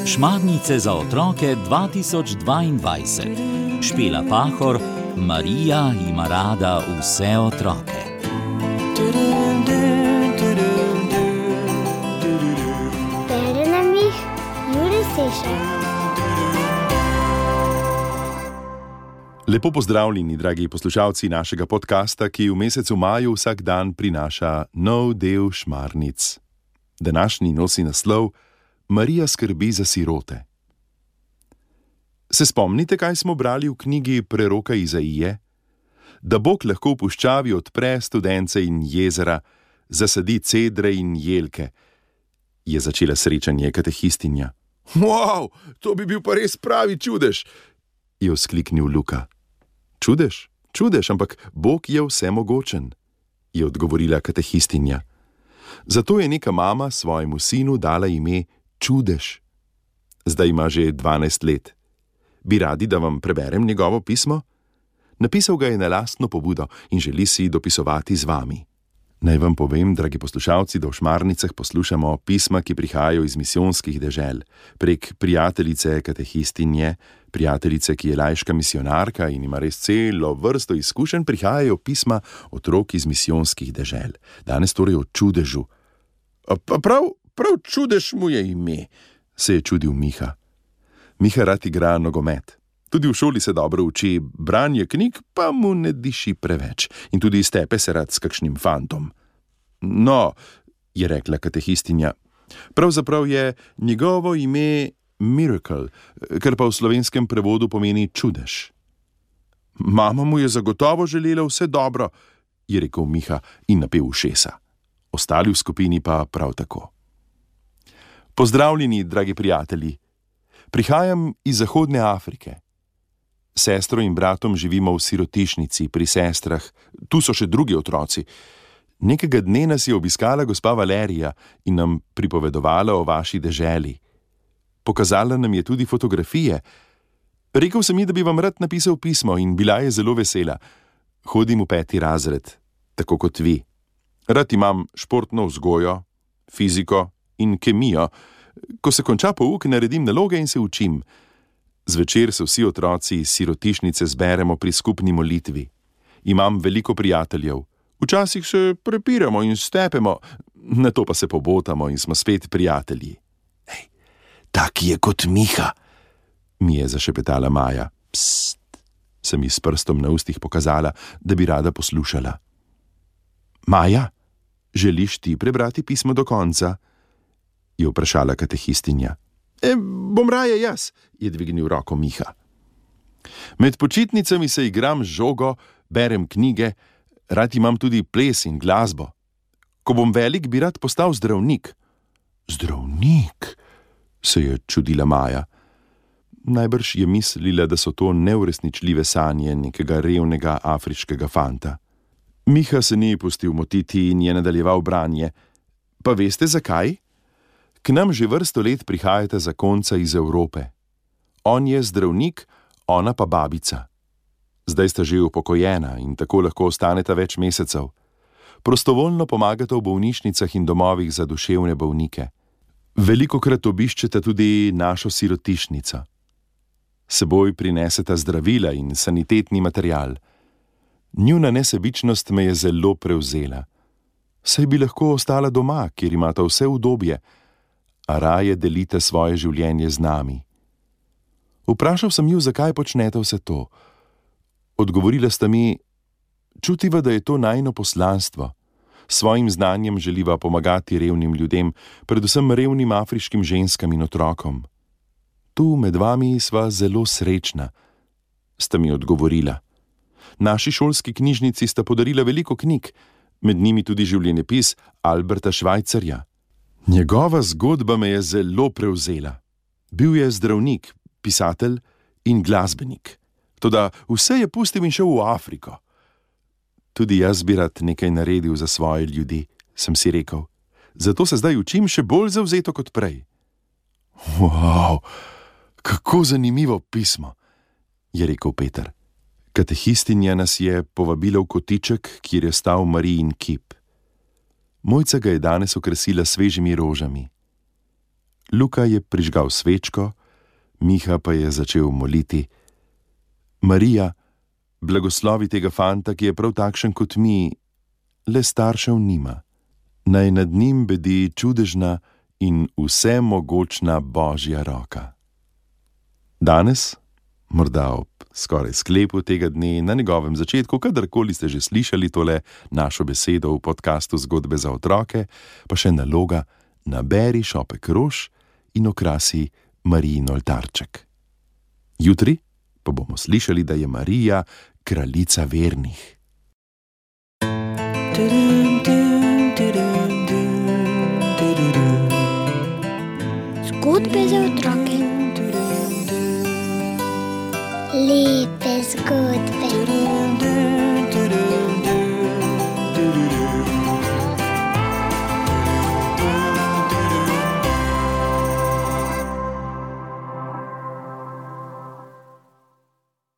Šmarnice za otroke 2022. Špela Pahor, Marija ima rada vse otroke. Bere nam jih Jure Sešar. Lepo pozdravljeni, dragi poslušalci našega podcasta, ki v mesecu maju vsak dan prinaša nov del Šmarnic. Današnji nosi naslov Marija skrbi za sirote. Se spomnite, kaj smo brali v knjigi preroka Izaije? Da Bog lahko v puščavi odpre studence in jezera, zasadi cedre in jelke, je začela srečanje katehistinja. Wow, to bi bil pa res pravi čudež, je vzkliknil Luka. Čudež, ampak Bog je vsemogočen, je odgovorila katehistinja. Zato je neka mama svojemu sinu dala ime Čudež. Zdaj ima že 12 let. Bi radi, da vam preberem njegovo pismo? Napisal ga je na lastno pobudo in želi si dopisovati z vami. Naj vam povem, dragi poslušalci, da v Šmarnicah poslušamo pisma, ki prihajajo iz misijonskih dežel. Prek prijateljice katehistinje, prijateljice, ki je laiška misionarka in ima res celo vrsto izkušenj, prihajajo pisma otrok iz misijonskih dežel. Danes torej o Čudežu. Prav Čudež mu je ime, se je čudil Miha. Miha rad igra nogomet. Tudi v šoli se dobro uči, branje knjig pa mu ne diši preveč in tudi iztepe se rad s kakšnim fantom. No, je rekla katehistinja, pravzaprav je njegovo ime Miracle, kar pa v slovenskem prevodu pomeni čudež. Mama mu je zagotovo želela vse dobro, je rekel Miha in napel ušesa. Ostali v skupini pa prav tako. Pozdravljeni, dragi prijatelji. Prihajam iz Zahodne Afrike. Sestro in bratom živimo v sirotišnici pri sestrah, tu so še drugi otroci. Nekega dne nas je obiskala gospa Valerija in nam pripovedovala o vaši deželi. Pokazala nam je tudi fotografije. Rekel sem ji, da bi vam rad napisal pismo in bila je zelo vesela. Hodim v 5. razred, tako kot vi. Rad imam športno vzgojo, fiziko in kemijo. Ko se konča pouk, naredim naloge in se učim. Zvečer se vsi otroci iz sirotišnice zberemo pri skupni molitvi. Imam veliko prijateljev. Včasih se prepiramo in stepemo, nato pa se pobotamo in smo spet prijatelji. Hej, tak je kot Miha, mi je zašepetala Maja. Psst, sem ji s prstom na ustih pokazala, da bi rada poslušala. Maja, želiš ti prebrati pismo do konca? Je vprašala katehistinja. Bom raje jaz, je dvignil roko Miha. Med počitnicami se igram z žogo, berem knjige, rad imam tudi ples in glasbo. Ko bom velik, bi rad postal zdravnik. Zdravnik? Se je čudila Maja. Najbrž je mislila, da so to neuresničljive sanje nekega revnega afriškega fanta. Miha se ni pustil motiti in je nadaljeval branje. Pa veste zakaj? K nam že vrsto let prihajata zakonca iz Evrope. On je zdravnik, ona pa babica. Zdaj sta že upokojena in tako lahko ostaneta več mesecev. Prostovoljno pomagata v bolnišnicah in domovih za duševne bolnike. Velikokrat obiščeta tudi našo sirotišnico. Seboj prineseta zdravila in sanitetni material. Njuna nesebičnost me je zelo prevzela. Saj bi lahko ostala doma, kjer imata vse udobje, a raje delite svoje življenje z nami. Vprašal sem ju, zakaj počnete vse to. Odgovorila sta mi, čutiva, da je to najino poslanstvo. Svojim znanjem želiva pomagati revnim ljudem, predvsem revnim afriškim ženskam in otrokom. Tu med vami sva zelo srečna, sta mi odgovorila. Naši šolski knjižnici sta podarila veliko knjig, med njimi tudi življenjepis Alberta Schweitzerja. Njegova zgodba me je zelo prevzela. Bil je zdravnik, pisatelj in glasbenik. Toda vse je pustil in šel v Afriko. Tudi jaz bi rad nekaj naredil za svoje ljudi, sem si rekel. Zato se zdaj učim še bolj zavzeto kot prej. Wow, kako zanimivo pismo, je rekel Peter. Katehistinja nas je povabila v kotiček, kjer je stal Marijin kip. Mojca ga je danes okrasila svežimi rožami. Luka je prižgal svečko, Miha pa je začel moliti: Marija, blagoslovi tega fanta, ki je prav takšen kot mi, le staršev nima. Naj nad njim bedi čudežna in vsemogočna Božja roka. Danes, morda ob skoraj sklepu tega dne, na njegovem začetku, kadarkoli ste že slišali tole našo besedo v podkastu Zgodbe za otroke, pa še naloga: naberi šopek rož in okrasi Marijin oltarček. Jutri pa bomo slišali, da je Marija kraljica vernih. Zgodbe za otroke. Lepe zgodbe.